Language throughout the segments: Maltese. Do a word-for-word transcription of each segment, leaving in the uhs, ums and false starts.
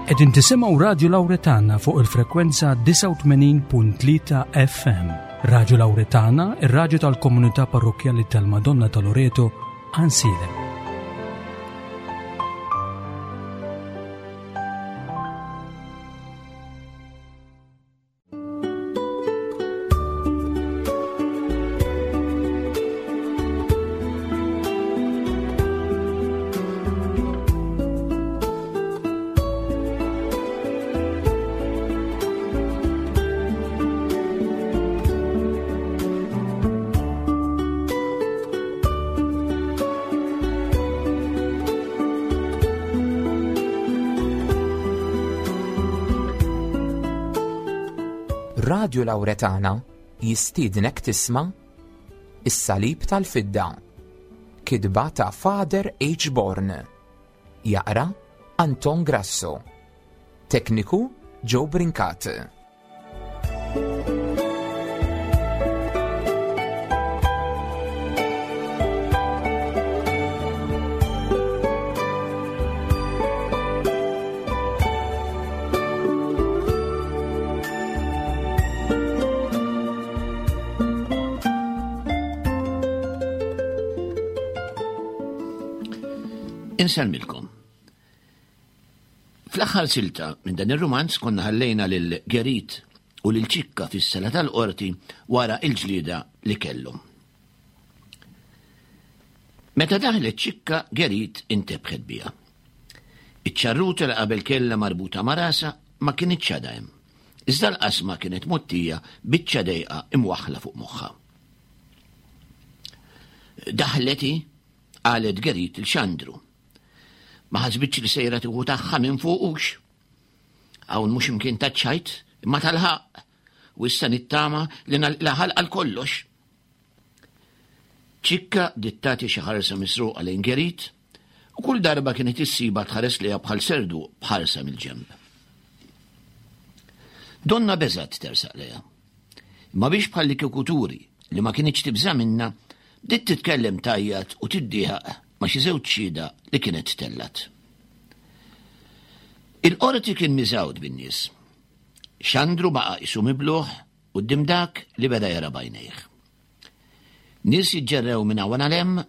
Qegħdin tisimgħu Radio Lauretana fuq il-frekwenza disgħa u tmenin punt tlieta F M. Radio Lauretana, ir-radju tal-Komunità Parrokkjali tal-Madonna ta' Loreto, Għajnsielem. Radio Lauretana jistiednek tisma' Is-Salib tal-Fidda, kitba ta' Father H. Born, jaqra Anton Grasso, tekniku Joe Brincat. Insellmilkom. Fl-aħħar silta minn dan ir-rumanz konna ħallejna lil Gerit u lil Ċikka fis-sala tal-qorti wara l-ġlieda li kellhom. Meta daħlet Ċikka, Gerit intebħet biha. Iċ-ċarruta li qabel kellha marbuta ma' rasha ma kinitx għadha hemm. Iżda l-qasma kienet mottija biċċa dejqa imwaħħla fuq moħħha. Daħlet hi, qalet Gerit il Xandru. Ma ħasbitx li sejra tieħu tagħha minn fuqux. Hawn mhux imkien taċ-ċajt, imma tal-ħaqq, u issa nittama li nagħlaq għal kollox. Ċikka bdiet tagħti xi ħarsa misruqa lejn Gerit, u kull darba kienet issiba tħares lejha bħal serdu bħarsa mill-ġenb. Donna beżgħet tersaq lejha. Imma biex bħal li kieku turi li ma kinitx tibża' minnha, bdiet titkellem tajjat u tiddieħaq ma' xi żewġ xhieda li kienet tellat. Il-qorti kien miżgħud bin-nies. Xandru baqa' qisu mibluħ quddiem dak li beda jara b'għajnejh. Nies jiġġerrew minn hawn għal hemm,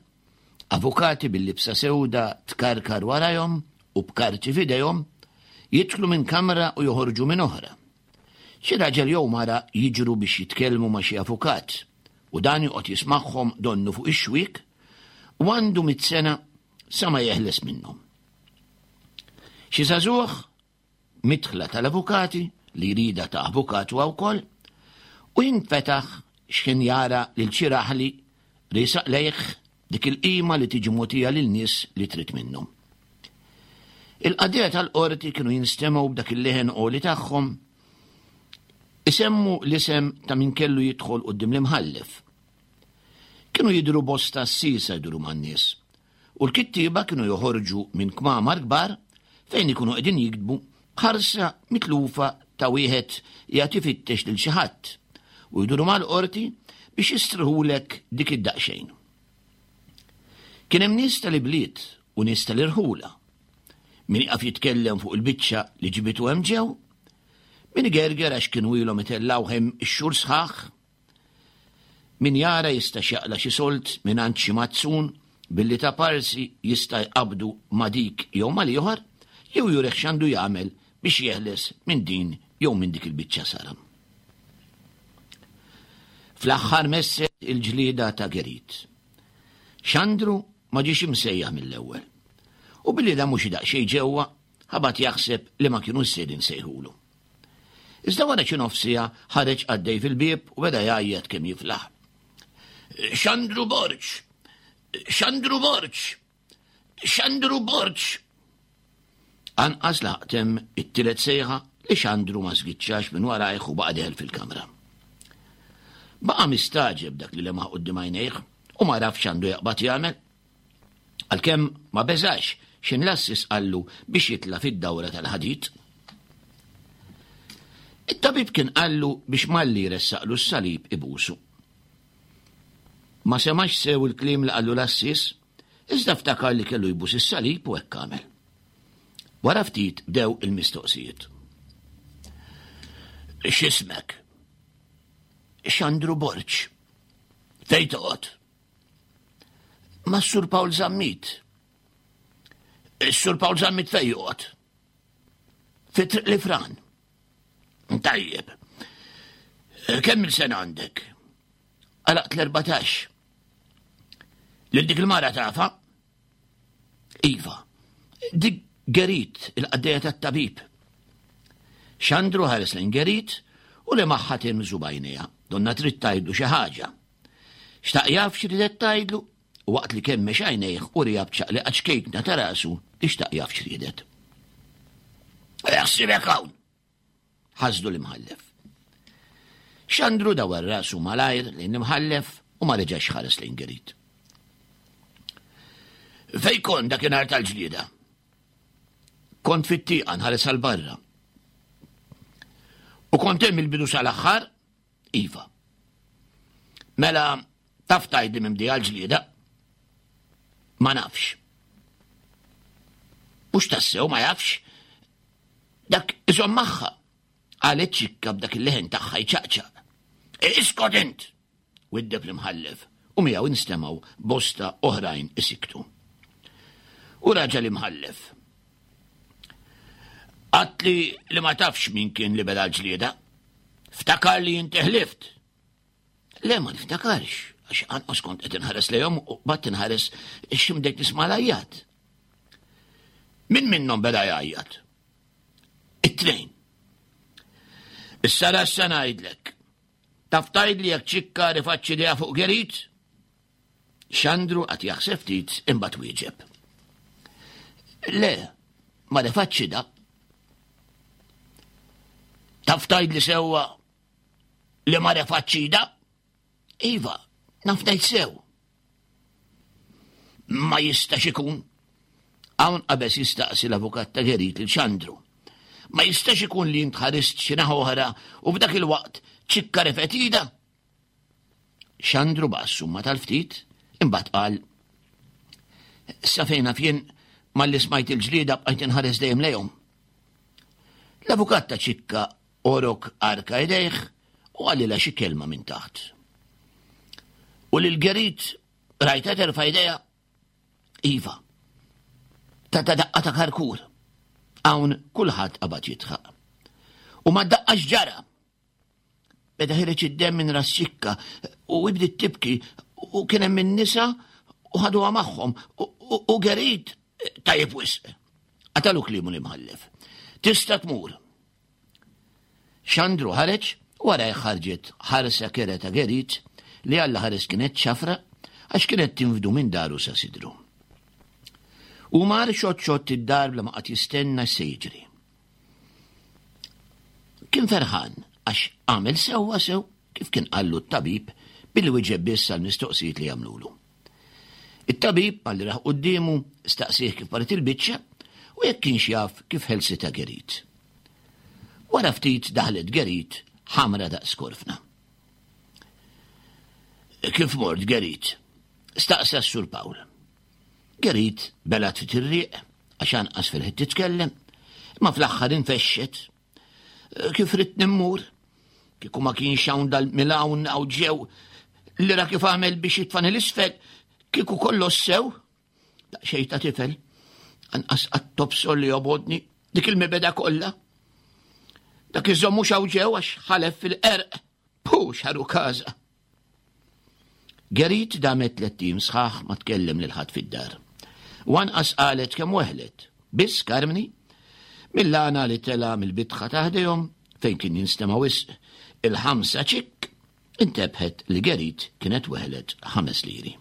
avukati bil-libsa sewda tkarkar warajhom u b'karti f'idejhom, jidħlu minn kamra u joħorġu minn oħra. Xi raġel jew mara jiġru biex jitkellmu ma' xi avukat u dan joqgħod jismagħhom donnu fuq ix-xwiek u għandu mitt sena sa ma jeħles minnhom. Xi żagħżugħ midħla tal-avukati li jrida ta' avukat huwa wkoll u jinfetaħ x'ħin jara lil xi raħli riesaq lejh dik il-qima li tiġi mogħtija lil nies li trid minnhom. Il-qadija tal-qorti kienu jinstemgħu b'dak il-leħen għoli tagħhom isemmu l-isem ta' min kellu jidħol quddiem l-imħallef. Kienu jidhru bosta s-sisa jduru man-nies u l-kittieba kienu joħorġu minn kmamar kbar fejn ikunu qegħdin jiktbu b'ħarsa mitlufa ta' wieħed jagħti fittex lil xi ħadd u jduru mal-qorti biex jistrħulek dik id-daqsxejn. Kien hemm nies tal-ibliet u nies tal-irħula. Min iqaf jitkellem fuq il-biċċa li ġibitu hemm ġew, min igerger għax kienu ilhom itellgħu hemm ix-xhur sħaħ, min jara jista' x'jaqla' xi solt mingħand xi mazzun billi ta' parsi jista' jqabdu ma' dik jew mal-ieħor, jew jurih x'għandu jagħmel biex jeħles minn din jew minn dik il-biċċa saram. Fl-aħħar messet il-ġlieda ta' Gerit. Xandru ma ġiex imsejjaħ mill-ewwel. U billi da mhux daqsxejn ġewwa, ħabat jaħseb li ma kienu sejrin sejħulu. Iżda wara xi nofsija ħareġ għaddej fil-bieb u beda jgħajjat kemm jiflaħ. Xandru Borg! Xandru Borg! Xandru Borg! Anqas laqtem it-tielet sejħa li Xandru ma żgiċċax minn warajh u baqa' deħel fil-kamra. Baqa' mistaġeb dak li lemaħ quddiem għajnejh u ma rafx x'għandu jaqbad jagħmel. Għalkemm ma beżax x'in l-assis qallu biex jitla' fid-dawra tal-ħadid. It-tabib kien qallu biex malli jressaqlu s-salib ibusu. Ma semax sew il-kliem li qallu l-assis, iżda ftakar li kellu jbus is-salib u hekk għamel. Wara ftit bdew il-mistoqsijiet. X'ismek? Xandru Borg. Fejn toqgħod? Mas-Sur Pawl Zammit. Is-Sur Pawl Zammit fejn joqgħod? Fi Triq Lifran. Tajjeb. Kemm il-sena għandek? Għalaqt l-erbatax. Lil dik il-mara tafa? Iva. Dik Gerit, il-qaddejja tat-tabib. Xandru ħares lejn Gerit u li magħha timżu bajnejha, donna trid tgħidlu xi ħaġa. Xtaq jaf x'ridet tgħidlu u waqt li kemmex għajnejh u rija b'ċaqliqa ċkejkna ta' rasu li xtaq jaf x'riedet. Jaħsibek hawn! Ħasdu l-imħallef. Xandru dawar rasu malajr lejn l-imħallef u ma reġax ħares lejn Gerit. Fej kont dakinhar tal-ġlieda? Kont fit-tieqa nħares għal barra. U kont hemm il-bidu sal-aħħar? Iva. Mela taf tgħidli minn bdieha l-ġlieda? Ma nafx. Mhux tassew ma jafx. Dak iżomm magħha. Qalet Ċikka b'dak il-leħen tagħha jċaqċaq. Iskot int! Widdeb l-imħallef u miegħu instemgħu bosta oħrajn isiktu. U raġa' l-imħallef. Għatli li ma tafx min kien li beda l-ġlieda. Ftakar li inti ħlift. Le, ma niftakarx, għax anqas kont qed inħares lejhom u bat inħares x'imdejt nisma' l-għajjat. Min minnhom beda jgħajjat? It-tnejn. Issa rassa ngħidlek. Taf tgħidli jekk Ċikka rifaċċi idejha fuq Gerit? Xandru qatt jaħseb ftit imbagħad wieġeb. Le, ma refaċċi da. Taf tgħidli sewwa li ma refaċċi da? Iva, naf ngħid sew. Ma jistax ikun. Hawn qabeż jistaqsi l-avukat ta' Gerit lil Xandru. Ma jistax ikun li int ħarist xi naħa oħra u f'dak il-waqt Ċikka refgħet idha? Xandru baqa' summa tal-ftit, imbagħad qal: Sa fejn naf jien malli smajt il-ġlieda bqajt inħares dejjem lejhom. L-avukat ta' Ċikka orok arka idejh u qalilha xi kelma minn taħt. U lil Gerit rajta terfa' idejha? Iva. Ta' ta' daqqa ta' karkur. Hawn kulħadd qabad jidħaq. U ma daqqax ġara. Beda ħireġ id-demm minn ras Ċikka u bdiet tibki u kien hemm in-nisa u ħaduha magħhom u Gerit tajjeb wisq. Qatalu kliemu l-imħallef. Tista' tmur. Xandru ħareġ wara ħarġet ħarsa kera ta' Gerit li Alla ħares kienet ċafra għax kienet tinfdu minn daru sa sidru. U mar xott xott id-dar bla ma qatt jistenna se jiġri. Kien ferħan għax għamel sewwa sew kif kien qallu t-tabib billi wieġeb biss għall-mistoqsijiet li għamlulu. It-tabib malli raħ quddiemu staqsih kif paret il-biċċa u jekk kienx jaf kif ħelsitha Gerit. Wara ftit daħlet Gerit ħamra daqs korfna. Kif mort Gerit? Staqsa s-Sur Pawl. Gerit belat fit ir-riq għax anqas fil-ħin titkellem, imma fl-aħħar infexxet. Kif ridt nimmur? Kieku ma kienx hawn dal-milawn hawn ġew li ra kif għamel biex jitfani l-isfel, kieku kollox sew. Daqsxejn ta' tifel, anqas qatt tobsor li jobodni dik il-mibeda kollha. Dak iżomm mhux hawn ġew għax ħalef fil-qerq, pu xaru każa. Gerit damet tliet ijiem sħaħ ma tkellem lil ħadd fid-dar. U anqas qalet kemm weħlet. Biss Karmni, mill-għana li tela mill-bitħa ta' ħdejhom fejn kien jinstema' wisq il-ħamsa ċikk, intebħet li Gerit kienet weħlet ħames liri.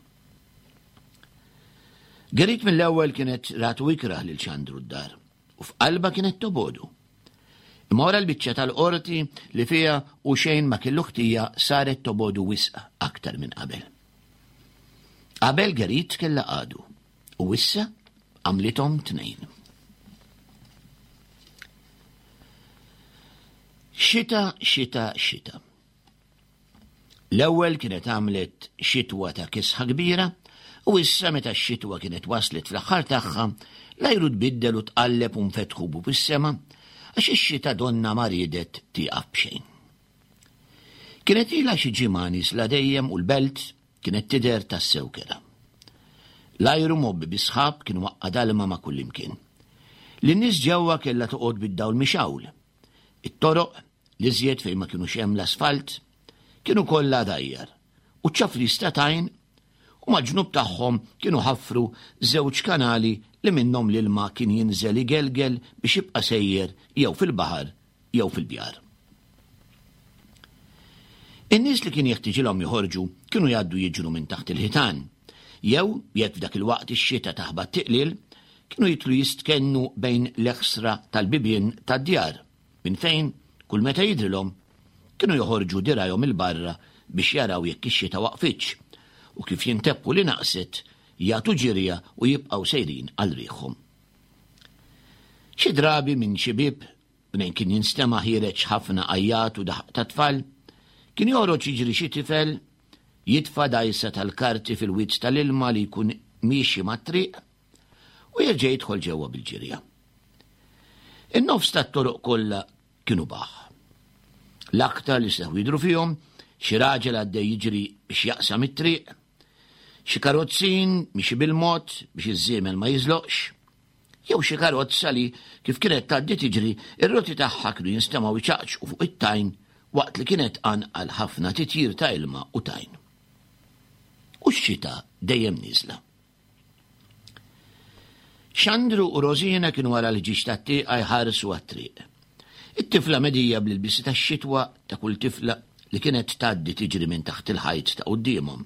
Gerit mill-ewwel kienet ratu ikrah lil Xandru d-dar u f'qalba kienet tobodu. Imma wara l-biċċa tal-qorti li fiha u xejn ma kellu ħtija saret tobodu wisq aktar minn qabel. Qabel Gerit kellha għadu u issa għamlithom tnejn. Xita, xita, xita. L-ewwel kienet għamlet xitwa ta' kisħa kbira U issa meta x-xitwa kienet waslet fl-aħħar tagħha, l-ajru tbiddel u tqalleb u nfetħu bu fis-sema għax ix-xita donna ma riedet tieqaf b'xejn. Kienet ilha xi ġimgħa niesla dejjem u l-belt kienet tidher tassew kera. L-ajru mgħobbi bi sħab kien waqqa' dalma ma' kullimkien. Lin-nies ġewwa kellha toqgħod bid-dawl mixgħul. It-toroq, l-iżjed fejn ma kinux hemm l-asfalt, kienu kollha dajjar u ċaflis ta' tajn u mal-ġnub tagħhom kienu ħaffru żewġ kanali li minnhom l-ilma kien jinżel igelgel biex jibqa' sejjer jew fil-baħar jew fil-bjar. In-nies li kien jeħtiġilhom joħorġu kienu jgħaddu jiġru minn taħt il-ħitan, jew jekk f'dak il-waqt ix-xita taħbat tiqlil, kienu jitlu jistkennu bejn l-eħsra tal-bibien tad-djar, minn fejn kull meta jidrilhom kienu joħorġu dirajhom il-barra biex jaraw jekk ix-xita waqfitx u kif jintebħu li naqset jagħtu ġirja u jibqgħu sejrin għal riħhom. Xi drabi minn xi bieb minn kien jinstema' ħiereġ ħafna għajjat u daħq ta' tfal, kien joħroġ jiġri xi tifel jitfa' dajsa tal-karti fil-wied tal-ilma li jkun miexi mat-triq u jerġa' jidħol ġewwa bil-ġirja. In-nofs tat-toroq kollha kienu baħ. L-aktar li seħħu jidhru fihom xi raġel għaddej jiġri biex jaqsam it-triq, xi karozzin miexi bil-mod biex iż-żiemel ma jiżloqx, jew xi karozza li kif kienet tgħaddi tiġri ir-roti tagħha kienu jinstemgħu jċaqċqu fuq it-tajn waqt li kienet tqanqal ħafna titjir ta' ilma u tajn. U x-xita dejjem nieżla. Xandru u Rosina kienu wara l-ħġieġ tat-tieqa jħarsu għat-triq. It-tifla medija bl-ilbisi tax-xitwa ta' kull tifla li kienet tgħaddi tiġri minn taħt il-ħajt ta' quddiemhom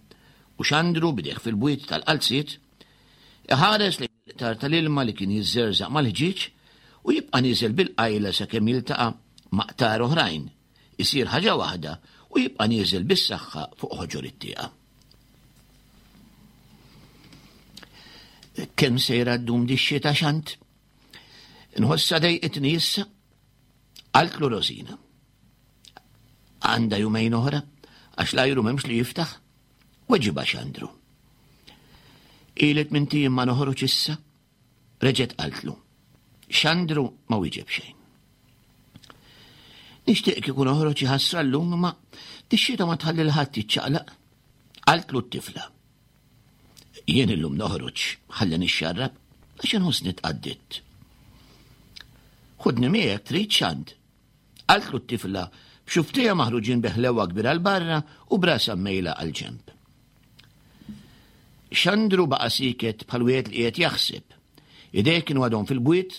u Xandru b'idejh fil-bwiet tal-qalziet iħares lejn il-qtar tal-ilma li kien jiżżerżaq mal-ħġieġ u jibqa' nieżel bil-qajla sakemm jiltaqa' ma' qtar oħrajn, isir ħaġa waħda u jibqa' nieżel bis-saħħa fuq ħoġor it-tieqa. Kemm sejra ddum di x-xita Xand? Inħossha dejqitni issa? Qaltlu Rosina. Għandha jumejn oħra, għax l-ajru m'hemmx li jiftaħ. Weġibha Xandru. Ilet minn tiem ma noħroġ issa? Reġgħet qaltlu. Xandru ma wieġeb xejn. Nixtieq kieku noħroġ iħassra llum imma dix-xita ma tħalli l ħadd jiċċaqlaq. Qaltlu t-tifla. Jien illum noħroġ ħalli nixxarrab għax inħossni tqaddidt. Ħudni miegħek trid Xand. Qaltlu t-tifla b'xuftejha maħruġin beħlewa kbira 'l barra u brasha mmejla għal ġenb. Xandru baqa' sieket bħal wieħed li qiegħed jaħseb. Idejh kienu għadhom fil-bwiet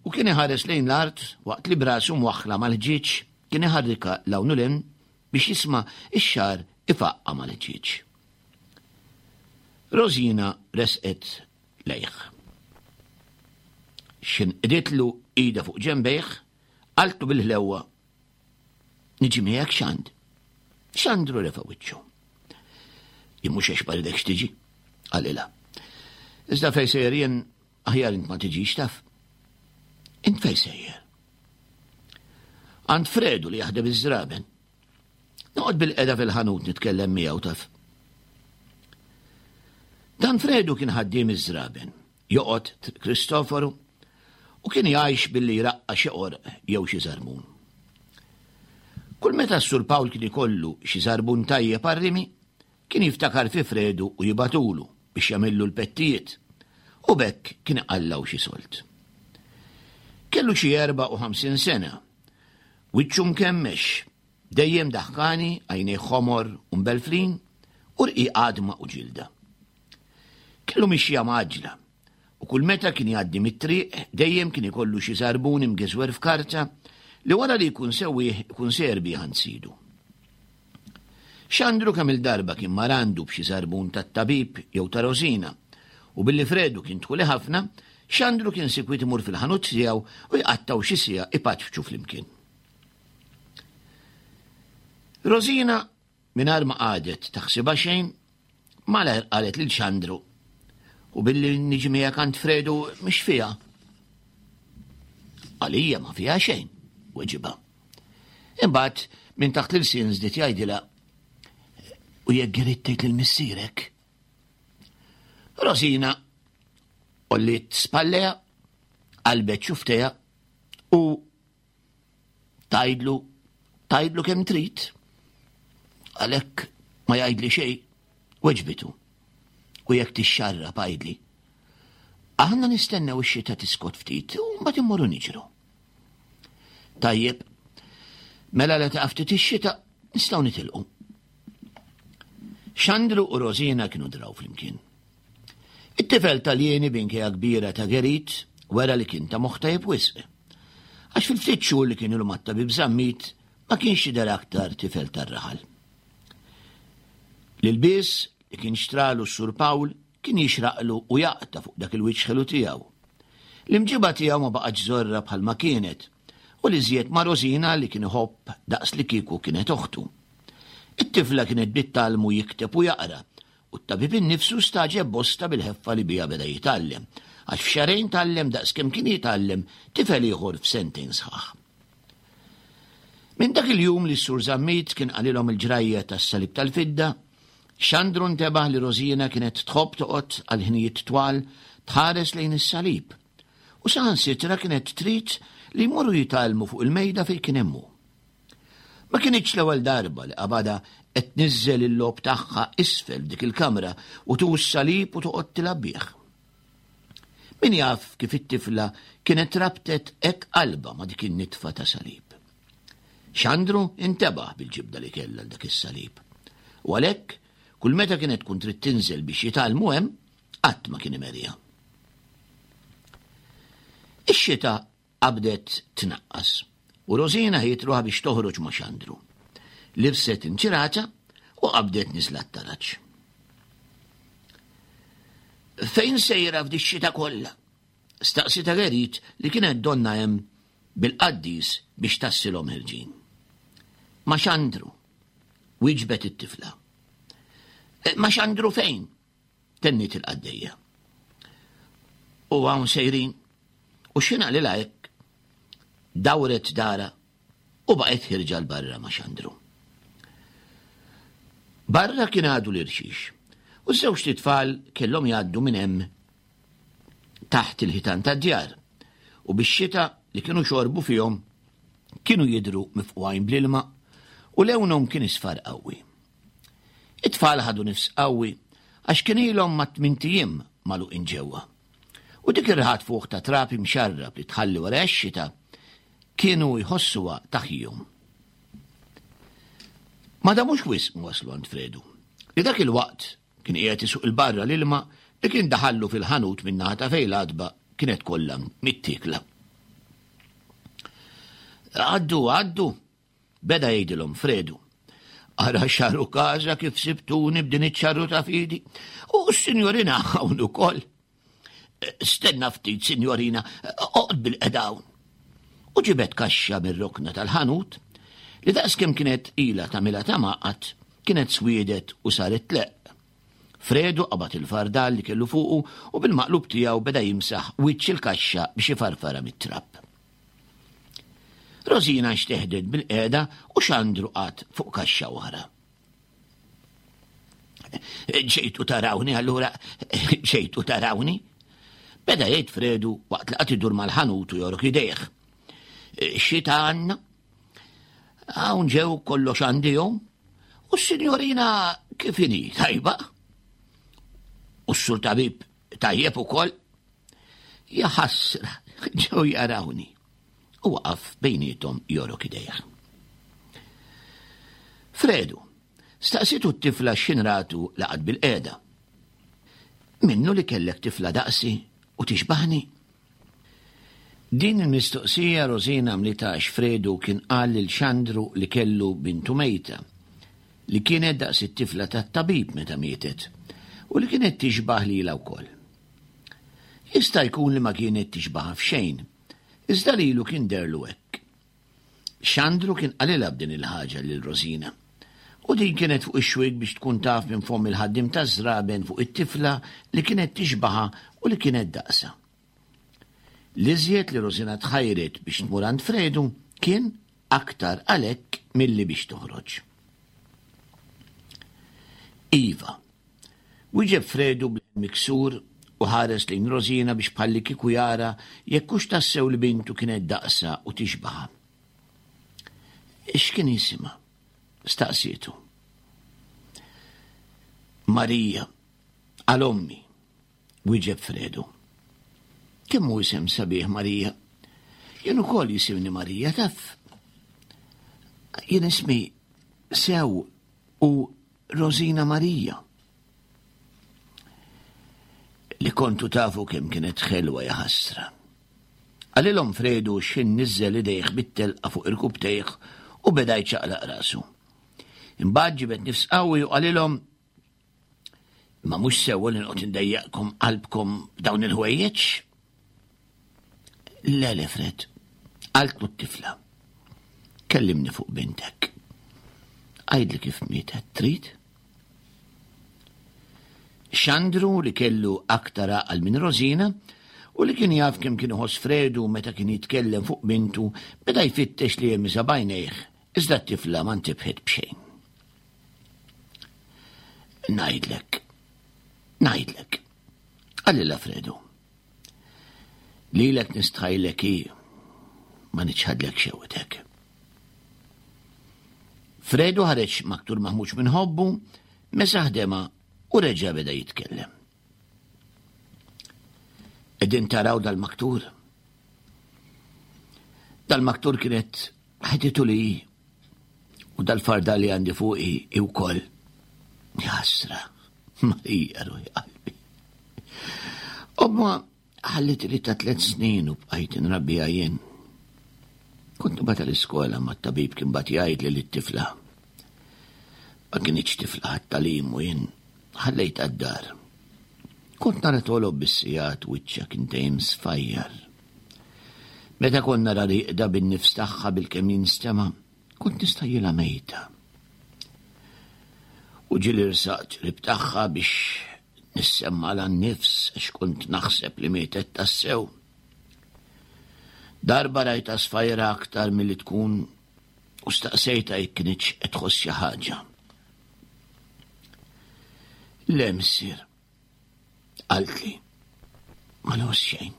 u kien iħares lejn l-art waqt li brasu mwaħħla mal-ħġieġ kien iħarrikha 'l hawn u 'l hinn biex jisma' x-xagħar ifaqqa' mal-ħġieġ. Rosina resqet lejh. X'inqditlu ida fuq ġenbejh, qaltlu bil-ħlewwa, Niġi miegħek Xand. Xandru refa' wiċċu. Jien mhux għax ma ridekx tiġi, qalilha. Iżda fejn sejjer jien aħjar int ma tiġix taf. Int fejn sejjer? Għand Fredu li jaħdem iż-żraben. Noqgħod bil-qeda fil-ħanut nitkellem miegħu taf. Dan Fredu kien ħaddiem iż-żraben, joqgħod Kristoforu u kien jgħix billi jraqqa' xi qorq jew xi żarmun. Kull meta s-Sur Pawl kien ikollu xi żarbun tajjeb għar-rimi, kien jiftakar fi Fredu u jibatulu biex jagħmillu l-pettijiet, u b'hekk kien iqallgħu xi sold. Kellu xi erbgħa u ħamsin sena, wiċċu mkemmex, dejjem daħkani, għajnejh ħomor u mbelflin, u rqiq għadma u ġilda. Kellu mixja mgħaġġla, u kull meta kien jgħaddi mit-triq dejjem kien ikollu xi żarbun imgeżwer f'karta li wara li jkun sewwieħ ikun sejjer bih għand sidu. Xandru kemm il-darba kien mar għandu b'xi żarbun tat-tabib jew ta' Rosina, u billi Fredu kien tħuli ħafna, Xandru kien sikwit imur fil-ħanut tiegħu u jqattgħu xi siegħa ipaċċu flimkien. Rosina, mingħajr ma qagħdet taħsibha xejn, malajr qalet lil Xandru, u billi niġi miegħek għand Fredu mhix fiha. Għalija ma fiha xejn, weġibha. Imbagħad minn taħt l-ilsien żdied jgħidilha, u jekk irid tgħid lil missierek. Rosina għolliet spallejha, qalbet xufftejha u tgħidlu, tgħidlu kemm trid. Għalhekk ma jgħidli xejn, weġbitu. U jekk tixxarrab għidli. Aħna nistennew ix-xita tiskot ftit u mbagħad immorru niġru. Tajjeb, mela la taqaf ftit ix-xita nistgħu nitilqu. Xandru u Rosina kienu draw flimkien. It-tifel Taljeni b'inkejja kbira ta' Gerit wera li kien ta' moħħ tajjeb wisq. Għax fil-ftit xhur li kien ilu mat-tabib Zammit ma kienx jidher aktar tifel tar-raħal. L-ilbies li kien xtralu s-Sur Pawl kien jixraqlu u jaqta' fuq dak il-wiċċ ħelu tiegħu. L-imġiba tiegħu ma baqgħetx żorra bħalma kienet u li żjed ma' Rosina li kien iħobb daqs li kieku kienet oħtu. It-tifla kienet bdiet tgħallmu jikteb u jaqra u t-tabib innifsu staġeb bosta bil-ħeffa li biha beda jitgħallem, għax f'xahrejn tgħallem daqs kemm kien jitgħallem tifel ieħor f'sentejn sħaħ. Minn dak il-jum li s-Sur Zammit kien qalilhom il-ġrajja tas-salib tal-fidda, Xandru ntebaħ li Rosina kienet tħobb toqgħod għal ħinijiet twal tħares lejn is-salib u saħansitra kienet trid li jmorru jitgħallmu fuq il-mejda fejn kien hemm hu. Ma kinitx l-ewwel darba li qabadha qed tniżżel il-logħob tagħha isfel f'dik il-kamra u tuħu s-salib u toqgħod tilgħab bih. Min jaf kif it-tifla kienet rabtet hekk qalbha ma' dik in-nitfa ta' salib. Xandru intebaħ bil-ġibda li kellha dak is-salib. U għalhekk kull meta kienet tkun trid tinżel biex jitgħallmu hemm, qatt ma kien imerija. Ix-xita qabdet tnaqqas u Rosina ħejjiet ruħha biex toħroġ ma' Xandru. Libset inċirata u qabdet niżla t-taraġ. Fejn sejra f'di x-xita kollha? Staqsitha Gerit li kienet donna hemm bil-qaddis biex tassilhom ħirġin. Ma' Xandru, wieġbet it-tifla. Ma' Xandru fejn? Tenniet il-qaddejja. U hawn sejrin. U x'ħin qalilha hekk, dawret dara u baqgħet ħirġa 'l barra ma' Xandru. Barra kien għadu l-irxix u ż-żewġt itfal kellhom jgħaddu minn hemm taħt il-ħitan tad-djar u bix-xita li kienu xorbu fihom kienu jidhru mifqugħin bl-ilma u lewnhom kien isfar qawwi. It-tfal ħadu nifs qawwi għax kien ilhom ma' tmint ijiem magħluqin ġewwa. U dik ir-riħa tfuħ ta' trab imxarrab li tħalli wara x-xita kienu jħossuha taħjihom. Ma damux wisq ma waslu għand Fredu, li dak il-waqt kien qiegħed isuq il-barra l-ilma li kien daħallu fil-ħanut min-naħa ta' fejn l-għatba kienet kollha mittiekla. Għaddu, għaddu, beda jgħidilhom Fredu. Ara xaru każa kif sibtuni b'din iċ-ċarru ta' fidi. U s-sinjorina hawn ukoll. Stenna ftit, sinjorina, oqgħod bil-qiegħda hawn. U ġibet kaxxa mir-rokna tal-ħanut li daqskemm kienet ilha tagħmilha ta' maqgħad kienet swiedet u saret tleqq. Fredu qabad il-fardal li kellu fuqu u bil-maqlub tiegħu beda jimsaħ wiċċ il-kaxxa biex ifarfara mit-trab. Rosina nxteħdet bil-qiegħda u Xandru qagħad fuq kaxxa oħra. Ġejtu tarawni allura, ġejtu tarawni? Beda jgħid Fredu waqt li qagħad idur mal-ħanut u jorok idejh. Xita għandna? Hawn ġew kollox għandihom? U s-sinjorina kif inhi, tajba? U s-sur tabib tajjeb ukoll? Ja ħasra, ġew jarawni. U waqaf bejnietom jorok idejh. Fredu, staqsitu t-tifla x'ħin ratu laqat bil-qiegħda. Minnu li kellek tifla daqsi u tixbaħni? Din il-mistoqsija Rosina għamlitha għax Fredu kien qal lil Xandru li kellu bintu mejta, li kienet daqs it-tifla tat-tabib meta mietet u li kienet tixbaħ lilha wkoll. Jista' jkun li ma kienet tixbaħha f'xejn, iżda lilu kien derlu hekk. Xandru kien qalilha b'din il-ħaġa lil Rosina, u din kienet fuq ix-xwiek biex tkun taf minn fomm il-ħaddiem taż-żraben fuq it-tifla li kienet tixbaħha u li kienet daqsa. L-iżjed li Rosina tħajret biex tmur għand Fredu kien aktar għalhekk milli biex toħroġ. Iva, Wieġeb Fredu bl-miksur u ħares lejn Rosina biex bħalli kieku jara jekk hux tassew li bintu kienet daqsa u tixbaħa. X'kien jisimha? Staqsietu. Marija, għal ommi, wieġeb Fredu. Kemm hu isem sabiħ Marija? Jien ukoll jisimni Marija, taf. Jien ismi sew u Rosina Marija. Li kontu tafu kemm kienet ħelwa ja ħasra. Qalilhom Fredu x'ħin niżżel idejh bit-telqa fuq irkubtejh u beda jċaqlaq rasu. Imbagħad ġibed nifs qawwi u qalilhom ma mhux sewwa li noqgħod indejjaqkom qalbkom b'dawn il-ħwejjeġ. Le, le, Fred, qaltlu t-tifla. Kellimni fuq bintek. Għidli kif mietet, trid? Xandru li kellu aktar għaqal minn Rosina u li kien jaf kemm kien iħoss Fredu meta kien jitkellem fuq bintu beda jfittex li jemmiżha b'għajnejh, iżda t-tifla ma ntibħet b'xejn. Ngħidlek, ngħidlek, qalilha Fredu. Lilek nistħajlek hi ma niċħadlek xewqtek. Fredu ħareġ maktur maħmuġ minn ħobbu, mesaħ dema u reġa' beda jitkellem. Qegħdin taraw dal-maktur? Dal-maktur kienet ħeditu li u dal-farda li għandi fuqi i wkoll. Ħasra, Marija ruħi qalbi. Omma ħallit li ta' tliet snin u bqajt nrabbija jien. Kont nibgħatha l-iskola ma t-tabib kien bagħat jgħid li t-tifla. Ma kinitx tifla għat-tagħlim u jien ħallejtha d-dar. Kont nara togħlob bis-sigħat wiċċha kien dejjem sfajjar. Meta kont nara rieqda bin-nifs tagħha bil-kemm jinstema', kont nistħajjilha mejta. U ġieli rsaqt qrib tagħha biex nissemma n-nifs għax kont naħseb li mietet tassew. Darba rajta sfajra aktar milli tkun u staqsejta jekk kinitx qed tħoss xi ħaġa. Le, missier, qaltli, ma nħoss xejn.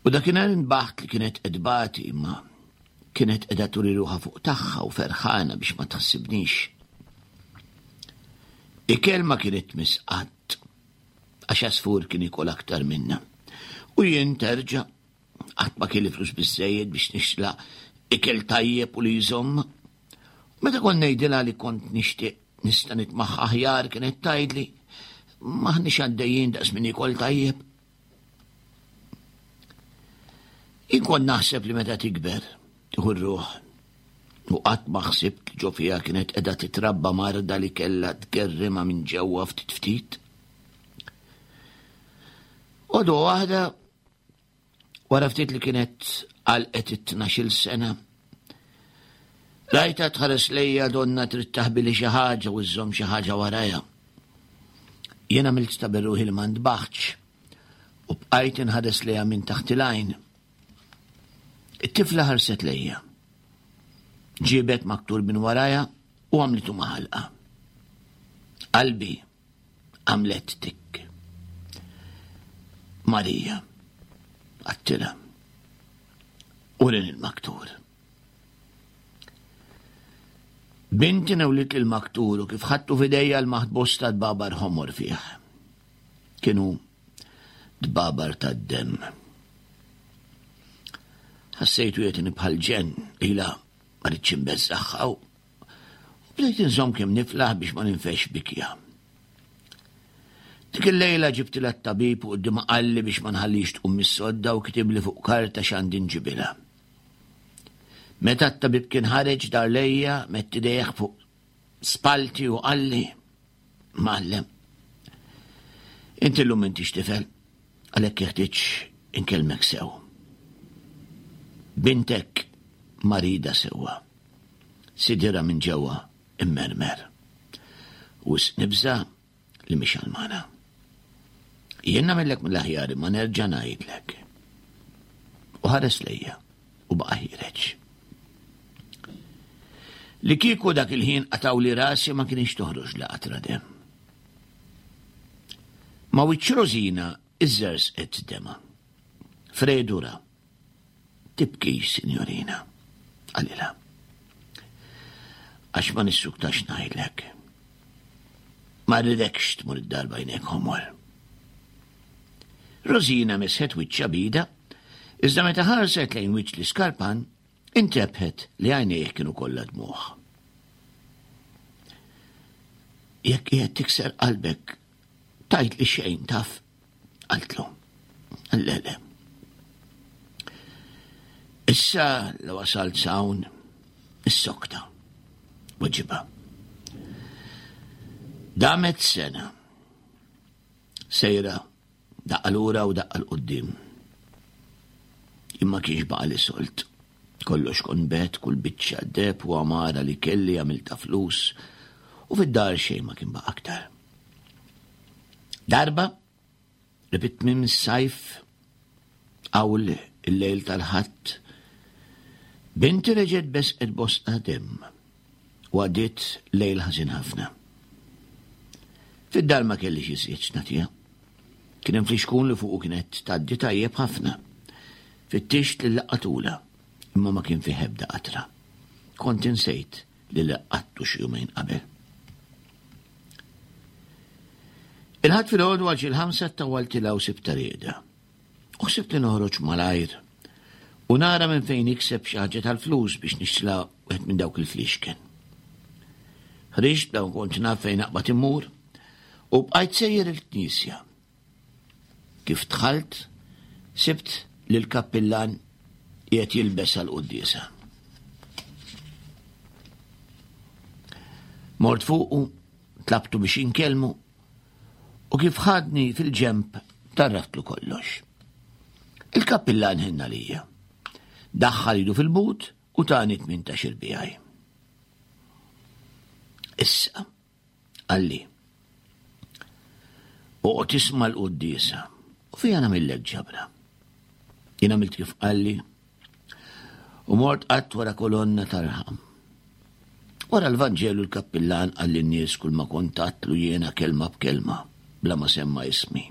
U dakinhar intbaħt li kienet qed tbati imma kienet qiegħda turi ruħha fuq tagħha u ferħana biex ma tħassibnix. Ikel ma kienet tmiss qatt, għax għasfur kien ikol aktar minna. U jien terġa' qatt ma kelli flus biżżejjed biex nixtla ikel tajjeb u li jżomm. Meta kont ngħidilha li kont nixtieq nista' nitmaħħa aħjar kienet tgħidli m'aħniex għaddejjin daqs min ikol tajjeb. Jien kont naħseb li meta tikber tieħu r-ruħ u qatt ma ħsibt li ġo fiha kienet qiegħda titrabba marda li kellha tgerrimha minn ġewwa ftit ftit. Għodwa waħda wara ftit li kienet għalqet it-tnax-il sena, rajta tħares lejja donna trid taħbili xi ħaġa u żżomm xi ħaġa warajha. Jien għamilt ta' berruħi li ma ntbaħtx u bqajt inħares lejha minn taħt il-għajn. It-tifla ħarset lejja. Ġiebet maktur minn warajha u għamlitu maħalqa. Qalbi għamlet tik. Marija, għattila, urin il-maktur. Binti newlit il-maktur u kif ħadtu f'idejja l-maħt bosta dbabar ħomor fih. Kienu dbabar tad-demm. Ħassejtu jetini bħal ġenn, ila ma rridx inbeżżagħha u bdejt inżomm kemm niflaħ biex ma ninfex bikja. Dik il-lejla ġibtilha t-tabib u quddiemha qalli biex ma nħallix tqum mis-sodda u kitibli fuq karta x'għandi nġibilha. Meta t-tabib kien ħareġ dar lejja, mett idejh fuq spalti u qalli, Mgħallem, inti llum intix tifel, għalhekk jeħtieġ inkellmek sew. Bintek marida sewwa, sidira minn ġewwa immermer. U nibża li mhix għalmana. Jien nagħmellek mill-aħjar imma nerġa' ngħidlek. U ħares lejja u baqa' ħiereġ. Li kieku dak il-ħin qatgħuli rasi ma kienx toħroġ la qatra demm. Ma wiċċ Rosina iżżerżqet dema. Fredu ra. Tibkix, sinjorina, qalilha. Għax ma nissuktax ngħidlek. Ma rridekx tmur id-dar b'għajnejk ħomor. Rosina mesħet wiċċha b'idha, iżda meta ħarset lejn wiċċ l-iskarpan, intebħet li għajnejh kienu kollha dmugħ. Jekk qiegħed tikser qalbek, tajt li xejn taf, qaltlu. Le, le. Issa li wasalt s'hawn, issokta, weġibha. Damet sena, sejra, daqqa lura u daqqa 'l quddiem. Imma kienx baqa' li solt. Kollox kon bet, kull biċċa deheb u għamara li kelli għamilta flus, u fid-dar xejn ma kien baqa' aktar. Darba, li fit-tmiem is-sajf, hawn il-lejl tal-Ħadd, binti reġgħet besqet bosqa demm u għaddiet lejl ħażin ħafna. Fid-dar ma kellix iżjed x'nagħtiha. Kien hemm flixkun li fuqu kienet tgħaddi tajjeb ħafna. Fittixt li laqqatula, imma ma kien fih ebda qatra. Kont insejt li laqqattu xi jumejn qabel. Il-Ħadd filgħodu għal xi l-ħamsa ttawwaltilha u sibtha rieda. U ħsibt li noħroġ malajr u nara minn fejn ikseb xi ħaġa tal-flus biex nixtla wieħed minn dawk il-flixken. Ħriġt dawn kont naf fejn naqbad immur u bqajt sejjer il-knisja. Kif dħalt, sibt lil kappillan qiegħed jilbes għall-quddiesa. Mort fuqu, tlabtu biex inkellmu, u kif ħadni fil-ġemp tarraftlu kollox. Il-kappillan ħenna lija. Daħħal idu fil-but u tani tmintax-il bijaj. Issa, qalli, oqgħod tisma' l-quddiesa u fija nagħmillek ġabra. Jien għamilt kif qalli u mort qatt wara kolonna tarħam. Wara l-Vanġelu l-kappillan qal lin-nies kull ma kont għadtlu jiena kelma b'kelma, bla ma semma ismi.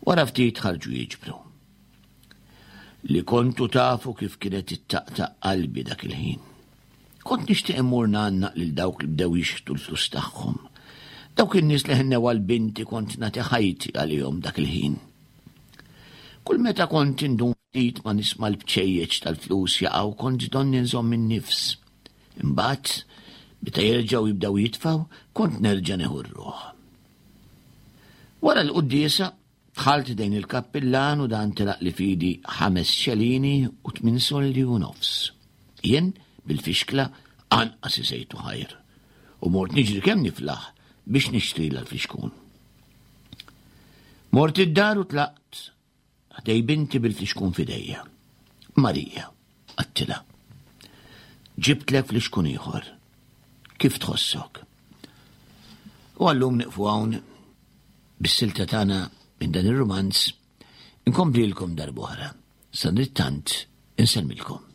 Wara ftit ħarġu jiġbru. Li kontu tafu kif kienet ittaqtaq qalbi dak il-ħin. Kont nixtieq immur ngħannaq lil dawk li bdew jixħtu l-flus tagħhom. Dawk in-nies li ħennew għal binti kont nagħti ħajti għalihom dak il-ħin. Kull meta kont indum ftit ma nisma' l-bċejjeċ tal-flus jaqgħu kont donni nżomm in-nifs. Imbagħad, meta jerġgħu jibdew jitfgħu, kont nerġa' nieħu r-ruħ. Wara l-quddiesa, dħalt dejn il-kappillan u dan telaq li fidi ħames xelini u tmien soldi u nofs. Jien, bil-fixkla, anqas isejtu ħajr u mort niġri kemm niflaħ biex nixtri l-flixkun. Mort id-dar u tlaqt ħdej binti bil-flixkun fidejja. Marija, għattila, ġibtlek flixkun ieħor. Kif tħossok? U għallum nieqfu hawn bis-silta tagħna minn dan ir-rumanz inkomplilkom darb'oħra. Sadanittant insellmilkom.